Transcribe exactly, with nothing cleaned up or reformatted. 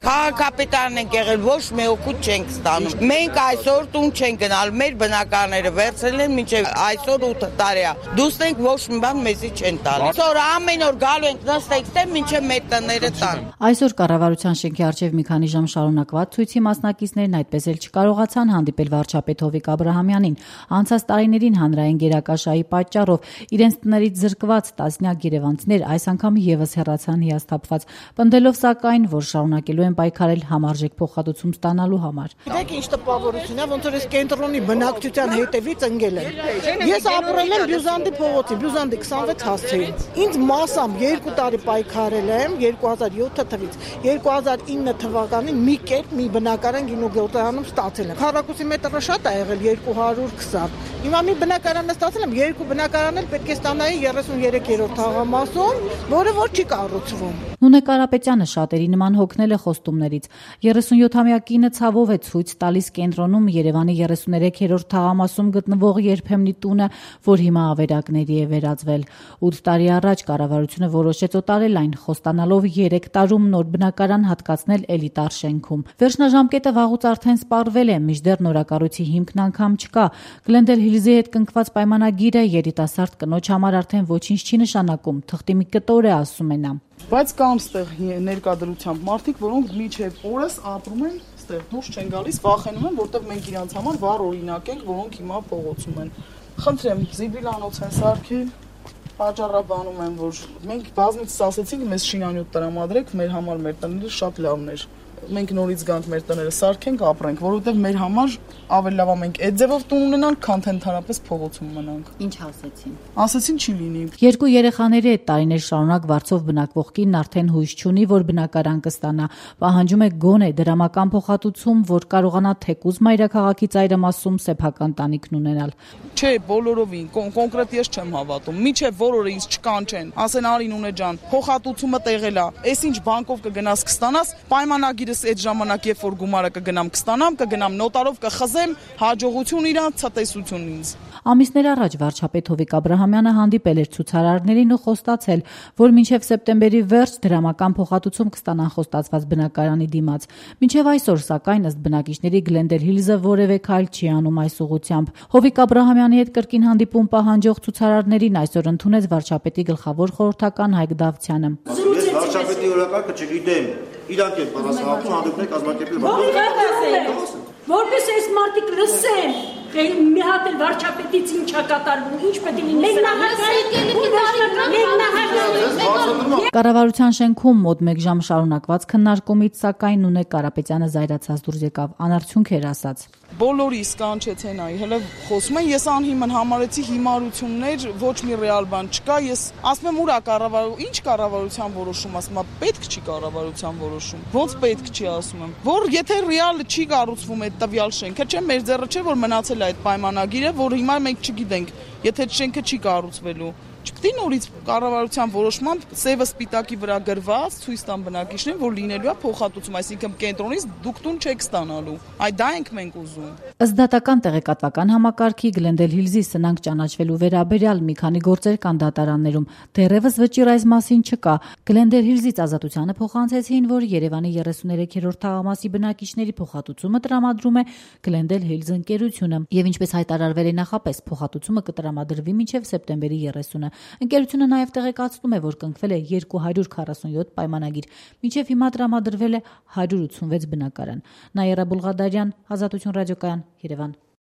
Քաղաքապետարն ենք եղել, ոչ մի օգուտ չենք ստանում։ Մենք այսօր տուն չենք գնալ, մեր բնակարները վերցրել են մինչև այսօր ութ տարի է։ Դուսնենք ոչ մի բան մեզի չեն տալի։ Այսօր ամեն օր գալու ենք նստենք տեղ մինչև մեր տները տան։ Այսօր կառավարության շենքի առջև մի քանի ժամ շարունակված ցույցի մասնակիցներն այդպես էլ չկարողացան հանդիպել վարչապետ Հովիկ Աբրահամյանին։ Անցած տարիներին հանրային գերակաշահի պատճառով իրենց տներից զրկված տասնյակ երևանցիներ այս անգամ եւս հեռացան հիասթափված, պնդելով սակայն, որ շարունակելու են պայքարել համարժեք փոխհատուցում ստանալու համար։ Գիտեք ինչ տպավորություն է, ոնց որ այս կենտրոնի բնակչության հետևից ընկել են։ Ես ապրել եմ Բյուզանդի փողոցի, Բյուզանդի քսանվեց հասցեին։ Ինձ մասամբ երկու տարի պայքարել եմ երկու հազար յոթ թվականից երկու հազար ինը թվականին մի կերպ մի բնակարան գինոգործարանում ստացել եմ։ Քառակուսի մետրը շատ է եղել երկու հարյուր քսան։ Հիմա մի բնակարան ստացել եմ, երկու բնակարան էլ պետք է ստանայի երեսուններորդ թաղամասում, որը որ չի կառուցվում։ Նունե Կարապետյանը շատերի նման հոգնել է խոստումներից։ երեսունյոթամյա կինը ցավով է ցույց տալիս կենտրոնում Երևանի երեսուներեքերորդ թաղամասում գտնվող երբեմնի տունը, որ հիմա ավերակների է վերածվել։ ութ տարի առաջ կառավարությունը որոշեց օտարել այն, խոստանալով երեք տարում նոր բնակարան հատկացնել էլիտար շենքում։ Վերջնաժամկետը վաղուց արդեն սպառվել է, մինչդեռ նորակառույցի հիմքն անգամ չկա։ Գլենդել Հիլզի հետ կնքված պայմանագիրը երիտասարդ կնոջ համար արդեն ոչինչ չի նշանակում, թղթի մի կտոր է, ասում է նա։ Բայց կան ստեղ ներկայությամբ մարդիկ, որոնք միջև օրս ապրում են ստեղ, դուրս չեն գալիս, վախենում են, որտեղ մենք իրանց համար վառ օրինակ ենք, որոնք հիմա փողոցում են։ Խնդրեմ, զիբիլանոց են սարքել, պատճառաբանում են, որ մենք բազմիցս ասեցինք, մեզ շինանյութ տրամադրեք, մեր համար մեր տները շատ լավն էր։ Մենք նորից գանք մեր տները սարքենք, ապրենք, որովհետև մեր համար ավելի լավ է մենք այդ ձևով տուն ունենանք, քան թե ընդհանրապես փողոցում մնանք։ Ինչ ասեցին։ Ասեցին չի լինի։ Երկու երեխաների հետ տարիներ շարունակ վարձով բնակվող կինն արդեն հույս չունի, որ բնակարան կստանա։ Պահանջում է գոնե դրամական փոխհատուցում, որ կարողանա թեկուզ մայրաքաղաքի ծայրամասում սեփական տանիքն ունենալ։ Չէ, բոլորովին, կոնկրետ ես չեմ հավատում։ Միջև որորը ինձ չկանչեն, ասեն Արին ունե ջան, փոխհատուցումը տեղել է։ Էս ինչ բանկով կգնաս կստանաս, պայմանագիրս այդ ժամանակ երբ որ գումարը կգնամ կստանամ, կգնամ նոտարով կխզեմ, հաջողություն իրանց, ցտեսություն ինձ։ Ամիսներ առաջ վարչապետ Հովիկ Աբրահամյանը հանդիպել էր ցուցարարներին ու խոստացել, որ մինչև սեպտեմբերի վերջ դրամական փոխհատուցում կստանան խոստացված բնակարանի դիմաց։ Մինչև այսօր, սակայն, ըստ բնակիչների, Գլենդել Հիլզը որևէ քայլ չի անում այս ուղղությամբ։ Հովիկ Աբրահամյանի հետ կրկին հանդիպում պահանջող ցուցարարներին այսօր ընդունեց վարչապետի գլխավոր խորհրդական Հայկ Դավթյանը։ Ես վարչապետի օրակարգը չգիտեմ, իրանք են պատասխանատու հանդիպներ կազմակերպել։ Որպես այս մարդիկ լսեն, մի հատ էլ վարչապետից ինչ է կատարվում, ինչ պետք է լինի։ Կառավարության շենքում մոտ մեկ ժամ շարունակված քննարկումից, սակայն Նունե Կարապետյանը զայրացած դուրս եկավ, անարդյունք էր ասած։ Բոլորիս կանչեցեն այ, հələ խոսում են, ես անհիմն համարեցի հիմարություններ, ոչ մի ռեալ բան չկա, ես ասում եմ ուրա կառավարություն, ինչ կառավարության որոշում, ասում եմ, պետք չի կառավարության որոշում։ Ոնց պետք չի, ասում եմ, որ եթե ռեալ չի կառուցվում այդ տվյալ շենքը, չէ, մեր ձեռը չէ, որ մնացել է այդ պայմանագիրը, որ հիմա մենք չգիտենք, եթե այդ շենքը չի կառուցվելու։ Չպետք է նորից կառավարության որոշմամբ սևը սպիտակի վրա գրված ցույց տան բնակիչներին, որ լինելու է փոխհատուցում, այսինքն կենտրոնից դուք տուն չեք ստանալու։ Այ դա ենք մենք ուզում։ Ըստ դատական տեղեկատվական համակարգի Գլենդել Հիլզի սնանկ ճանաչվելու վերաբերյալ մի քանի գործեր կան դատարաններում։ Դեռևս վճիռ այս մասին չկա։ Գլենդել Հիլզից ազատությանը փոխանցեցին, որ Երևանի երեսուներեքերորդ թաղամասի բնակիչների փոխհատուցումը տրամադրում է Գլենդել Հիլզ ընկերությունը, եւ ինչպես հայտարարվել է նախապես, փոխհատուցումը կտրամադրվի մինչև սեպտեմբերի երեսունը։ Ընկերությունը նաև տեղեկացնում է, որ կնքվել է երկու հարյուր քառասունյոթ պայմանագիր, մինչև հիմա տրամադրվել է հարյուր ութսունվեց բնակարան։ Նաիրա Բուլղադարյան, Ազատություն ռադիոկայան, Երևան։